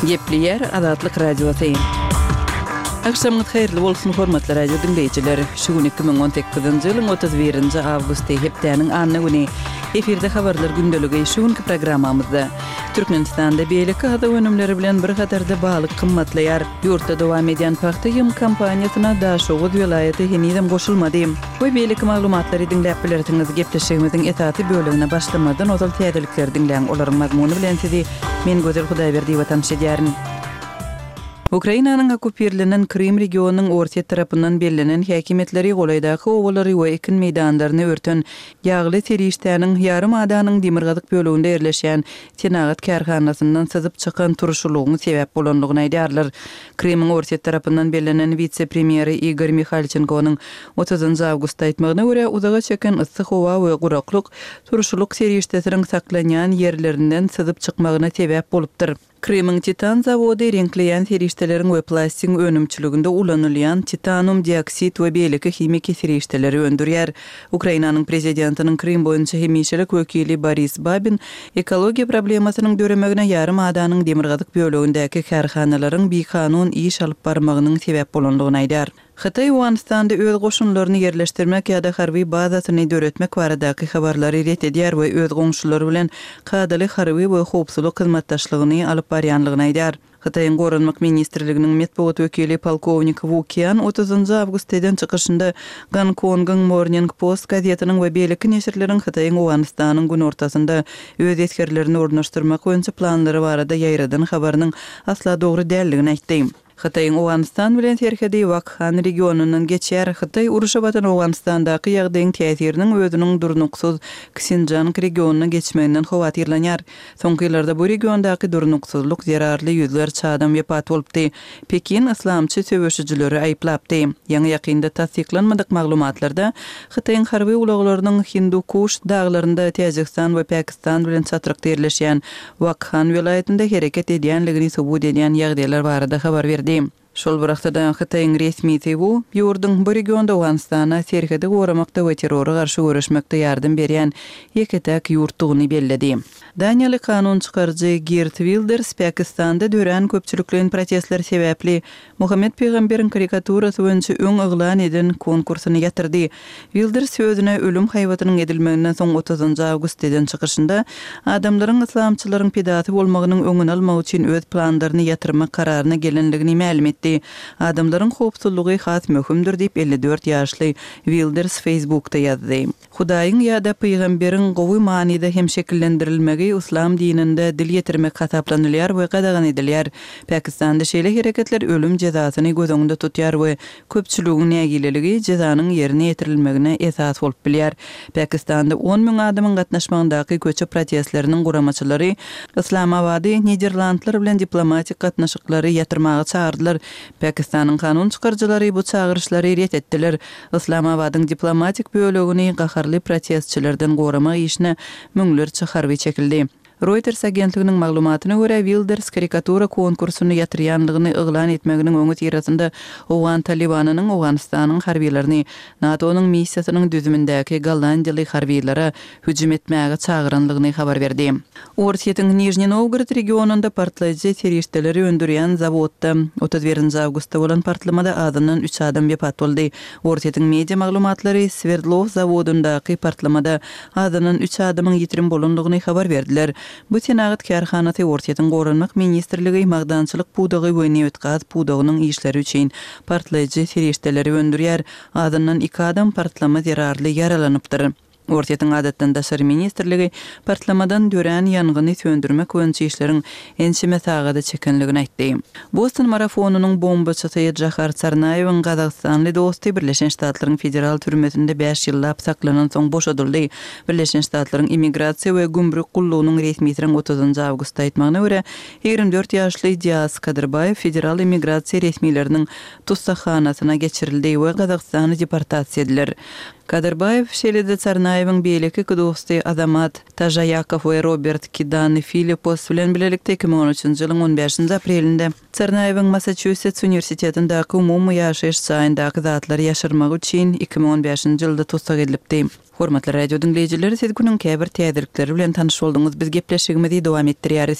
Gepleýär Azatlyk Radiosy. Agşamyňyz haýyrly bolsun, hormatly radio diňleýjiler! Şu gün 2018-nji ýylyň 31-nji awgusty, hepdäniň anna güni. Efirde habarlar gündeligi şu günki programmamyzda. Türkmenistanda beýleki azyk önümleri bilen bir hatarda balyk gymmatlaýar. Ýurtda dowam edýän pagta ýygym kampaniýasyna Daşoguz welaýaty henizem goşulmady. We beýleki maglumatlary diňläp bilersiňiz. Gepleşigimiziň esasy bölegine başlamazdan ozal täzelikleri diňläň. Olaryň mazmuny bilen sizi men Gözel Hudaýberdiýewa tanyş edýärin. Ukrainanyň okkupirlenen Krym regionynyň Orsýet tarapyndan bellenen häkimiýetleri golaýdaky obalary we ekin meýdanlaryny örten ýagly serişdäniň ýarym adanyň demirgazyk böleginde ýerleşýän senagat kärhanasyndan syzyp çykan turşulygyň sebäp bolandygyny aýdýarlar. Krymyň Orsýet tarapyndan bellenen wise-premýeri Igor Mihalçenkonyň otuzynjy awgustda aýtmagyna görä, uzaga çeken yssy howa we guraklyk turşulyk serişdesiniň saklanýan ýerlerinden syzyp çykmagyna sebäp bolupdyr. Krymyň titan zawody reňkleýän serişdeleriň we plastigiň önümçiliginde ulanylýan titanum dioksid we beýleki himiki serişdeleri öndürýär. Ukrainanyň prezidentiniň Krym boýunça hemişelik wekili Boris Babin ekologiýa problemasynyň döremegine ýarym adanyň demirgazyk bölegindäki kärhanalaryň bikanun iş alyp barmagynyň sebäp bolandygyny aýdýar. Hytaý Owganystanda öz goşunlaryny ýerleşdirmek ýa-da harby bazasyny döretmek baradaky habarlary ret edýär we öz goňşulary bilen kadaly harby we howpsuzlyk hyzmatdaşlygyny alyp barýanlygyny aýdýar. Hytaýyň Goranmak ministrliginiň metbugat wekili polkownik Wu Kian otuzynjy awgustda eden çykyşynda Gonkongyň Morning Post gazetiniň we beýleki neşirleriň Hytaýyň Owganystanyň günortasynda öz esgerlerini ornaşdyrmak boýunça planlary barada ýaýradan habarynyň asla dogry däldigini aýtdy. Hytaýyň Owganystan bilen serhedi Wakhan regionyndan geçýär. Hytaý urşa batan Owganystandaky ýagdaýyň täsiriniň özüniň durnuksyz Ksinjang regionyna geçmeginden howatyrlanýar. Soňky ýyllarda bu regiondaky durnuksyzlyk zerarly ýüzlerçe adam wepat bolupdy. Pekin yslamçy söweşijileri aýyplapdy. Ýaňy-ýakynda tassyklanmadyk maglumatlarda Hytaýyň harby ulaglarynyň Hindu-Kuş daglarynda Täjigistan we Pakistan bilen çatrykda ýerleşýän Wakhan welaýatynda hereket edýänligini subut edýän ýagdaýlar barada habar berdi. Şol bir wagtda-da, Hytaýyň resmisi bu ýurduň bu regionda Owganystana serhedi goramakda we terrora garşy göreşmekde ýardam berýän ýeke-täk ýurtdugyny belledi. Daniýaly kanun çykaryjy Geert Wilders Pakistanda dörän köpçülikleýin protestler sebäpli Muhammet pygamberiň karikaturasy boýunça öň yglan eden konkursyny ýatyrdy. Wilders özüne ölüm haýbatynyň edilmeginden soň otuzynjy awgustda eden çykyşynda, adamlaryň yslamçylaryň pidasy bolmagynyň öňüni almak üçin öz planlaryny ýatyrmak kararyna gelendigini mälim etdi. Adamlaryň howpsuzlygy has möhümdir diýip, 54 ýaşly Wilders Facebookda ýazdy. Hudaýyň ýa-da pygamberiň gowy manyda hem şekillendirilmegi yslam dininde dil ýetirmek hasaplanylýar we gadagan edilýär. Pakistanda şeýle hereketler ölüm jezasyny göz öňünde tutýar we köpçüligiň nägileligi jezanyň ýerine ýetirilmegine esas bolup bilýär. Pakistanda 10 müň adamyň gatnaşmagyndaky köçe protestleriniň guramaçylary Yslamabady Niderlandlar bilen diplomatik gatnaşyklary ýatyrmaga çagyrdylar. Pakistanyň kanun çykaryjylary bu çagyryşlary ret etdiler. Yslamabadyň diplomatik bölegini gaharly protestçilerden goramak işine müňlerçe harby çekildi. Reuters agentliginiň maglumatyna görä, Wilders karikatura konkursyny ýatyrýanlygyny yglan etmeginiň öňüsyrasynda owgan Talybanynyň Owganystanyň harbylaryny NATO-nyň missiýasynyň düzümindäki gollandiýaly harbylara hüjüm etmäge çagyranlygyny habar berdi. Orsýetiň Nižniý Nowgorod regionynda partlaýjy serişdeleri öndürýän zawodda 31 nji awgustda bolan partlamada azyndan üç adam wepat boldy. Orsýetiň media maglumatlary Swerdlow zawodyndaky partlamada azyndan üç adamyň ýitirim bolandygyny habar berdiler. Bu senagat kärhanasy Orsýetiň Goranmak ministrligi, magdançylyk pudagy we nebit-gaz pudagynyň işleri üçin partlaýjy serişdeleri öndürýär. Azyndan iki adam partlama zerarly ýaralanypdyr. Orsýetiň Adatdan daşary ministrligi partlamadan dörän ýangyny söndürmek boýunça işleriň ençeme sagada çekenligini aýtdy. Boston marafonynyň bombaçysy Jahar Tsarnaýewiň gazagystanly dosty Birleşen Ştatlaryň federal türmesinde bäş ýyllap saklanansoň boşadyldy. Birleşen Ştatlaryň Immigrasiýa we gümrük gullugynyň resmisiniň otuzynjy awgustda aýtmagyna görä, 24 ýaşly Dias Kadyrbaýew federal immigrasiýa resmileriniň tussaghanasyna geçirildi we Gazagystana deportasiýa ediler. Kadyrbaýew, şeýle-de Tsarnaýewiň beýleki iki dosty Azamat Tažaýakow we Robert Kidani Filippos bilen bilelikde 2013-nji ýylyň on bäşinji aprelinde Tsarnaýewiň Massaçusets uniwersitetindäki umumy ýaşaýyş jaýyndaky zatlary ýaşyrmagy üçin 2015-nji ýylda tussag edilipdi. Hormatly radio diňleýjiler, siz günüň käbir täzelikleri bilen tanyş bolduňyz. Biz gepleşigimizi dowam etdirýäris.